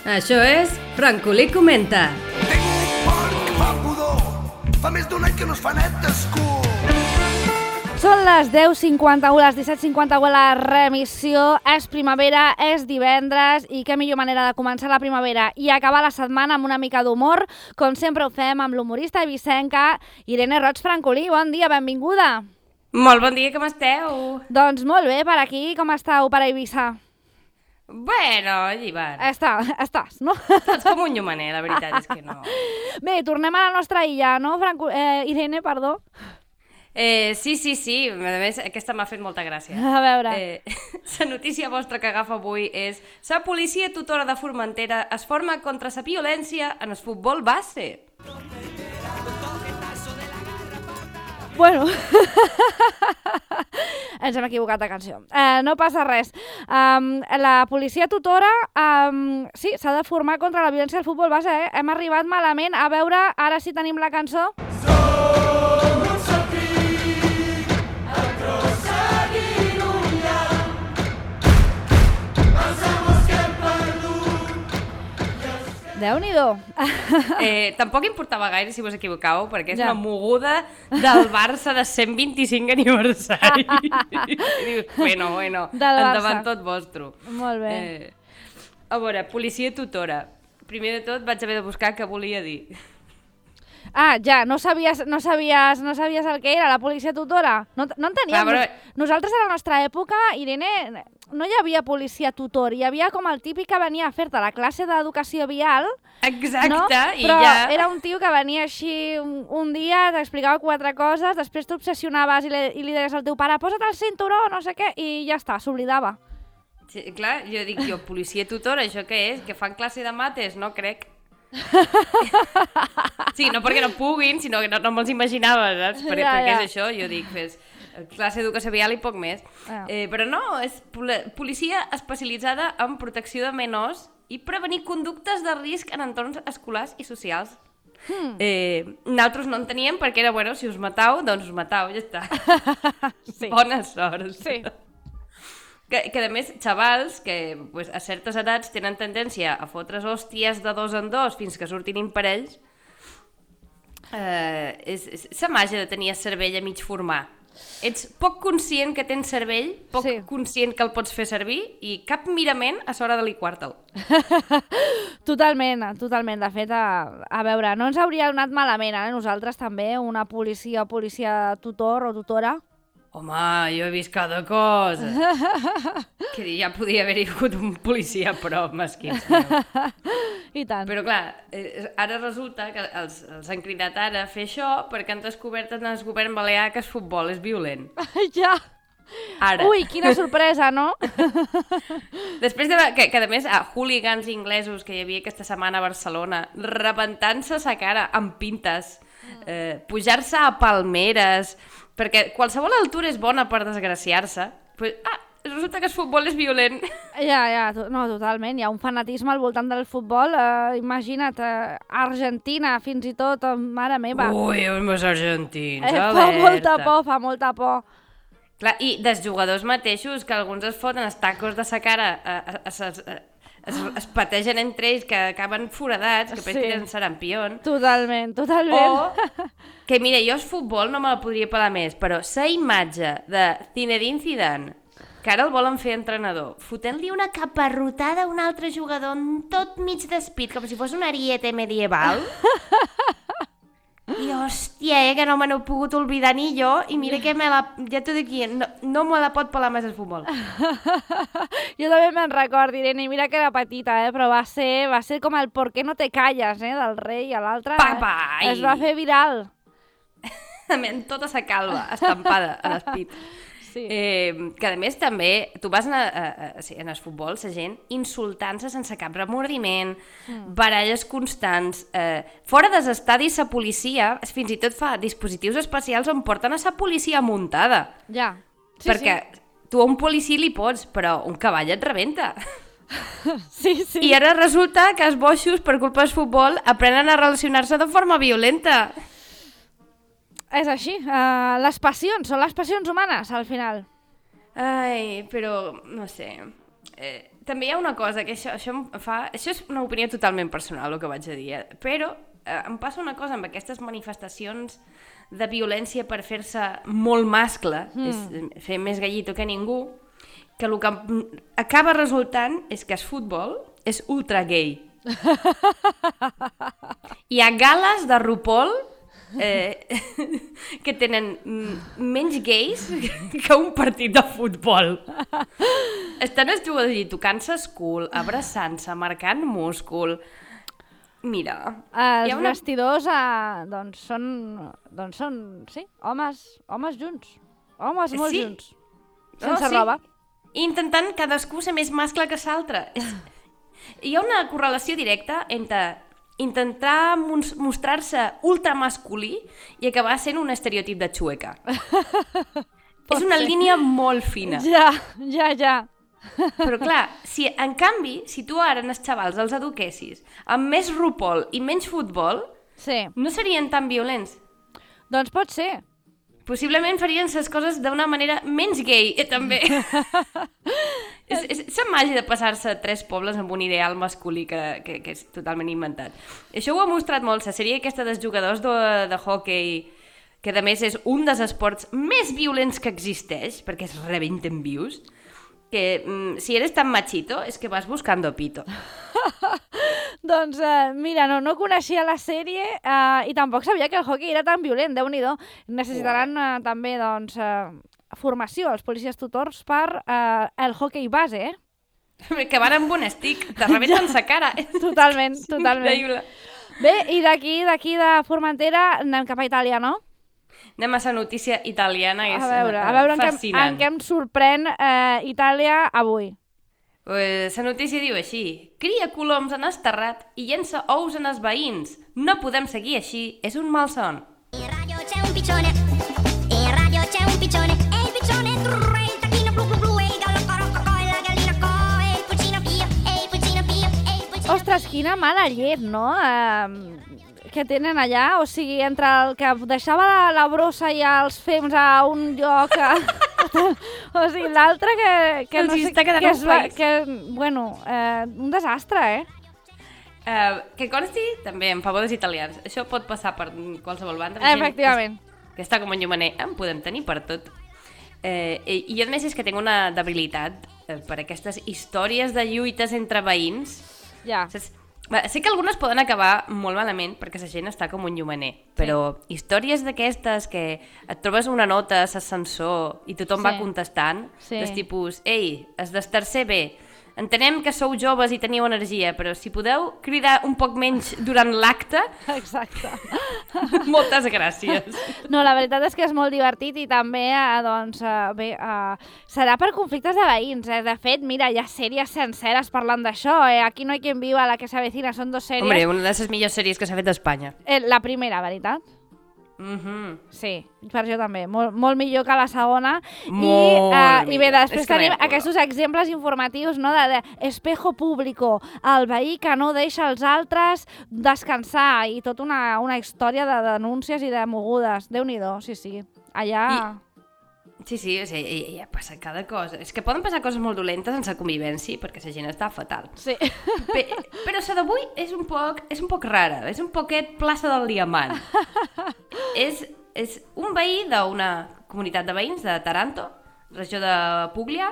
Això és Francolí Comenta. Tècnic porc, fa pudor. Fa més d'un any que no es fa net d'escur. Són les 10:51, les 17:51 la remissió. És primavera, és divendres i què millor manera de començar la primavera i acabar la setmana amb una mica d'humor, com sempre ho fem amb l'humorista eivissenca Irene Roig Francolí. Bon dia, benvinguda. Molt bon dia, com esteu? Doncs molt bé, per aquí, com estàu per Eivissa? Bueno, llibert. Estàs, no? Estàs com un llumaner, la veritat és que no. Bé, tornem a la nostra illa, no, Irene, perdó? Sí. A més, aquesta m'ha fet molta gràcia. A veure. La notícia vostra que agafa avui és: la policia tutora de Formentera es forma contra la violència en el futbol base. Bueno, ens hem equivocat de canció. No passa res. La policia tutora sí, s'ha de formar contra la violència del futbol base. Hem arribat malament. A veure, ara sí tenim la cançó. Som un sentit, aconseguint un llamp. Pensamos que hem perdut. Déu-n'hi-do. Tampoc importava gaire si vos equivocàveu, perquè és una moguda del Barça de 125 aniversari. Bueno, endavant tot vostre. Molt bé. A veure, policia tutora. Primer de tot vaig haver de buscar què volia dir. Ah, ja, no sabies el que era la policia tutora? No enteníem. Però... Nosaltres a la nostra època, Irene, no hi havia policia tutor, hi havia com el típic que venia a fer-te la classe d'educació vial. Exacte, no? i però ja... era un tio que venia així un dia, t'explicava 4 coses, després t'obsessionaves i li deies al teu pare posa't el cinturó, no sé què, i ja està, s'oblidava. Sí, clar, jo dic, policia tutora, això què és? Que fan classe de mates? No crec. Sí, no perquè no puguin, sinó que no me'ls imaginava, saps? Perquè és això, jo dic, fes classe d'educació vial i poc més. Però no, és policia especialitzada en protecció de menors i prevenir conductes de risc en entorns escolars i socials. Nosaltres no en teníem perquè era, bueno, si us matau, doncs us matau, ja està. Sí. Bona sort. Sí. Que a més, xavals que pues, a certes edats tenen tendència a fotre's hòsties de 2 en 2 fins que surtin imparells, és la màgia de tenir el cervell a mig formar. Ets poc conscient que tens cervell, poc conscient que el pots fer servir i cap mirament a l'hora de liquar-te'l. Totalment. De fet, a veure, no ens hauria anat malament, nosaltres també, una policia tutor o tutora. Home, jo he vist cada cosa. Que ja podia haver-hi hagut un policia a prop, mesquins. I tant. Però clar, ara resulta que els han cridat ara a fer això perquè han descobert en el govern balear que el futbol és violent. Ja! Ara. Ui, quina sorpresa, no? Després que a més, hooligans inglesos que hi havia aquesta setmana a Barcelona, rebentant-se la cara amb pintes, pujar-se a palmeres... Perquè qualsevol altura és bona per desgraciar-se. Resulta que el futbol és violent. Ja, no, totalment. Hi ha un fanatisme al voltant del futbol. Imagina't, Argentina, fins i tot, mare meva. Ui, els argentins, alerta. Fa molta por. Clar, i dels jugadors mateixos, que alguns es foten els tacos de sa cara, es pategen entre ells, que acaben foradats, que després tenen sarampion. Totalment. O que, mira, jo el futbol no me la podria pelar més, però la imatge de Zinedine Zidane, que ara el volen fer entrenador, fotent-li una caparrotada a un altre jugador tot mig despit, com si fos un ariete medieval. I hòstia, que no me n'he pogut oblidar ni jo, i mira que ja t'ho dic, no me la pot pelar més el futbol. Jo també me'n recordo, Irene, i mira que era petita, però va ser com el ¿por qué no te callas, del rei a l'altre. Es va fer viral. Amb tota sa calva estampada a l'espit. Sí. Que a més també, tu vas en el futbol, la gent insultant-se sense cap remordiment, baralles constants, fora dels estadis la policia fins i tot fa dispositius especials on porten a la policia muntada. Ja, perquè tu a un policia li pots, però un cavall et rebenta. Sí. I ara resulta que els boixos, per culpa del futbol, aprenen a relacionar-se de forma violenta. És així, les passions, són les passions humanes, al final. Ai, però, no sé, també hi ha una cosa, que això és una opinió totalment personal, el que vaig a dir, però em passa una cosa amb aquestes manifestacions de violència per fer-se molt mascle, fer més gallito que ningú, que el que acaba resultant és que el futbol és ultra gay. Hi ha gales de RuPaul que tenen menys gais que un partit de futbol. Estan els jugadors allí tocant-se el cul, abraçant-se, marcant múscul. Mira... Els vestidors són sí, homes junts. Homes molt junts. Sense roba. Intentant cadascú ser més mascle que l'altre. Hi ha una correlació directa entre intentar mostrar-se ultramasculí i acabar sent un estereotip de xueca. És una línia molt fina. Ja. Però clar, en canvi, si tu ara els xavals els eduquessis amb més RuPaul i menys futbol, no serien tan violents. Doncs pot ser. Possiblement farien les coses d'una manera menys gay, també. És la màgia de passar-se 3 pobles amb un ideal masculí que és totalment inventat. Això ho ha mostrat molt la sèrie aquesta dels jugadors de hockey, que a més és un dels esports més violents que existeix, perquè es rebenten vius, que si eres tan machito és que vas buscando pito. Doncs mira, no coneixia la sèrie i tampoc sabia que el hockey era tan violent, Déu-n'hi-do. Necessitaran també formació als policies tutors per el hockey base, Que van amb un stick, te rebenten sa cara. Totalment. Increïble. Bé, i d'aquí de Formentera anem cap a Itàlia, no? Anem a la notícia italiana, que és en fascinant. què em sorprèn Itàlia avui. La notícia diu així: cria coloms en el terrat i llença ous en els veïns. No podem seguir així, és un malson. In radio c'è un piccione, e il piccione trrr, e il tacchino blu blu blu, e il gallo co, e la gallina co, e il pulcino pio, e il pulcino pio, e il pulcino... Ostres, quina mala llet, no? Que tenen allà, o sigui, entre el que deixava la brossa i els fems a un lloc, o sigui, l'altre que no sé, un desastre, Que consti, també, en favor dels italians, això pot passar per qualsevol banda. Efectivament. Que està com en llumaner, en podem tenir per tot. I a més és que tinc una debilitat per aquestes històries de lluites entre veïns. Ja. Sé que algunes poden acabar molt malament perquè la gent està com un llumaner, però històries d'aquestes que et trobes una nota a l'ascensor i tothom va contestant, dels tipus, ei, es del tercer B, entenem que sou joves i teniu energia, però si podeu cridar un poc menys durant l'acte... Exacte. Moltes gràcies. No, la veritat és que és molt divertit i també, serà per conflictes de veïns. De fet, mira, hi ha sèries senceres parlant d'això. Aquí no hay quien viva, la que se avecina, són 2 sèries. Hombre, una de les millors sèries que s'ha fet a Espanya. La primera, veritat? Sí, per això també. Molt millor que la segona. I bé, després tenim aquests exemples informatius, no, de espejo público, el veí que no deixa els altres descansar i tota una història de denúncies i de mogudes. Déu-n'hi-do, sí. Allà... Sí, ja passa cada cosa. És que poden passar coses molt dolentes en la convivència perquè la gent està fatal. Sí. Però la d'avui és un poc rara, és un poquet plaça del Diamant. És un veí d'una comunitat de veïns de Taranto, regió de Puglia,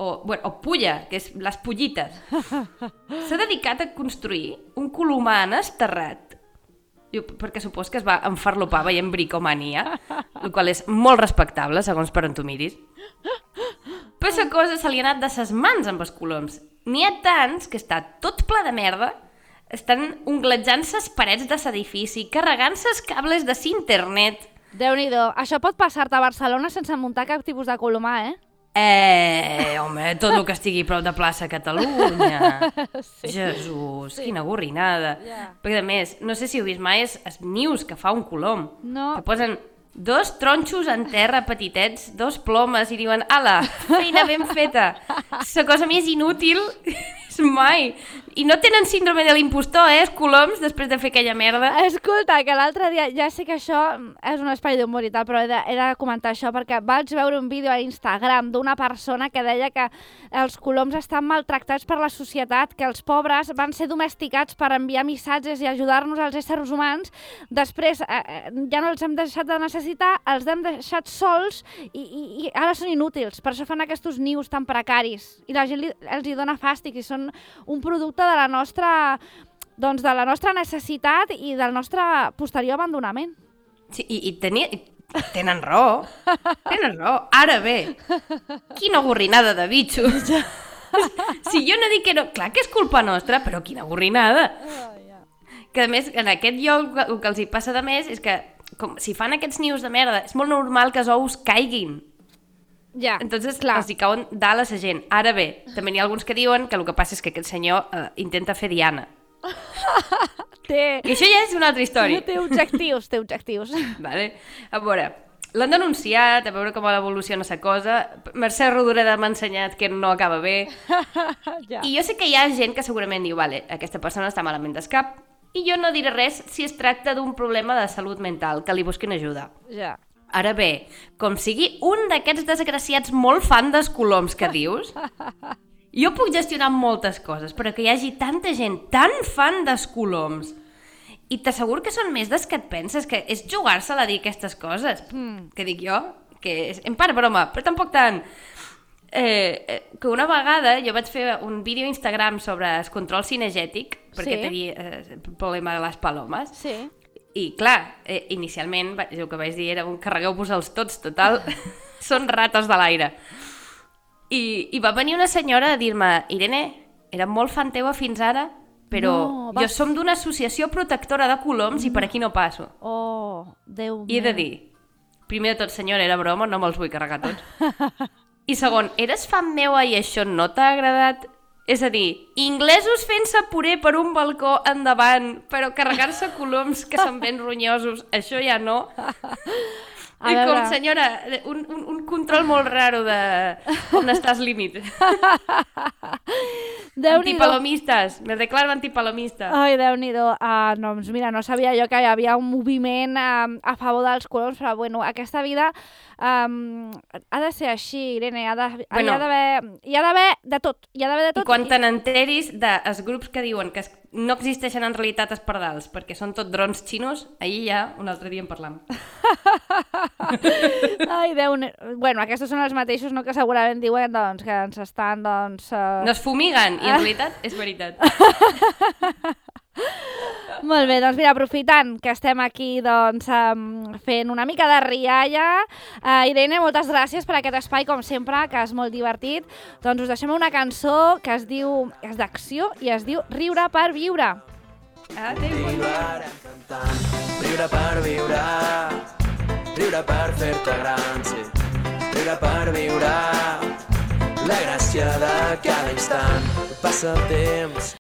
o Pulla, que és les Pullites. S'ha dedicat a construir un colomar en el terrat, perquè supos que es va enfarlopar veient bricomania, el qual és molt respectable, segons per on tu miris. Però la cosa se li ha anat de ses mans amb els coloms. N'hi ha tants que està tot ple de merda, estan unglejant-se les parets de l'edifici, carregant-se els cables de l'internet. Déu-n'hi-do. Això pot passar-te a Barcelona sense muntar cap tipus de colomar, Home, tot el que estigui prop de plaça Catalunya. Jesús, quina gorrinada. Perquè a més, no sé si heu vist mai els nius que fa un colom. No. Que posen 2 tronxos en terra petitets, 2 plomes i diuen, ala, feina ben feta. La cosa més inútil és mai. I no tenen síndrome de l'impostor, els coloms, després de fer aquella merda. Escolta, que l'altre dia, ja sé que això és un espai d'humor i tal, però he de comentar això perquè vaig veure un vídeo a Instagram d'una persona que deia que els coloms estan maltractats per la societat, que els pobres van ser domesticats per enviar missatges i ajudar-nos als éssers humans, després ja no els hem deixat de necessitar, els hem deixat sols i ara són inútils, per això fan aquests nius tan precaris i la gent els hi dona fàstic i són un producte de la nostra necessitat i del nostre posterior abandonament. Sí, i tenen raó. Tenen raó. Ara bé, quina gorrinada de bitxos. Si jo no dic que no... Clar que és culpa nostra, però quina gorrinada. Que a més, en aquest lloc el que els hi passa de més és que si fan aquests nius de merda, és molt normal que els ous caiguin. Ja, Entonces, clar. els hi cauen dalt a la gent. Ara bé, també n'hi ha alguns que diuen que el que passa és que aquest senyor intenta fer Diana. I això ja és una altra història. Té objectius. Vale. A veure, l'han denunciat, a veure com evoluciona la cosa. Mercè Rodoreda m'ha ensenyat que no acaba bé. Ja. I jo sé que hi ha gent que segurament diu, vale, aquesta persona està malament d'escap, i jo no diré res si es tracta d'un problema de salut mental, que li busquin ajuda. Ja. Ara bé, com sigui un d'aquests desgraciats molt fan dels coloms que dius, jo puc gestionar moltes coses, però que hi hagi tanta gent tan fan dels coloms, i t'asseguro que són més des que et penses, que és jugar-se-la a dir aquestes coses. Que dic jo, que és en part broma, però tampoc tant. Que una vegada jo vaig fer un vídeo a Instagram sobre el control cinegètic, perquè tenia el problema de les palomes. Sí. I clar, inicialment el que vaig dir era carregueu-vos-els tots, total, són rates de l'aire. I va venir una senyora a dir-me, Irene, era molt fan teua fins ara, però jo som d'una associació protectora de coloms i per aquí no passo. Oh, Déu meu. I he de dir, primer de tot, senyora, era broma, no me'ls vull carregar tots. I segon, eres fan meua i això no t'ha agradat? És a dir, inglesos fent-se puré per un balcó endavant, però carregar-se coloms que se'n ven ronyosos, això ja no. I com, senyora, un control molt raro de on està el límit. Antipalomistes, me declaro antipalomista. Ai, Déu-n'hi-do. Doncs mira, no sabia jo que hi havia un moviment a favor dels coloms, però bueno, aquesta vida ha de ser així, Irene, hi ha d'haver de tot. Hi ha d'haver de tot. I quan te n'enteris dels grups que diuen que no existeixen en realitat els pardals, perquè són tot drons xinos, ahir ja un altre dia en parlam. Ai, bueno, aquests són els mateixos, no, que segurament diuen doncs, que ens estan... Doncs, no es fumiguen, i en realitat és veritat. Molt bé, doncs mira, aprofitant que estem aquí doncs, fent una mica de rialla, Irene, moltes gràcies per aquest espai, com sempre, que és molt divertit. Doncs us deixem una cançó que es diu, és d'acció i es diu Riure per viure. Riure per viure, riure per fer-te gran, sí. Riure per viure, la gràcia de cada instant, passa el temps.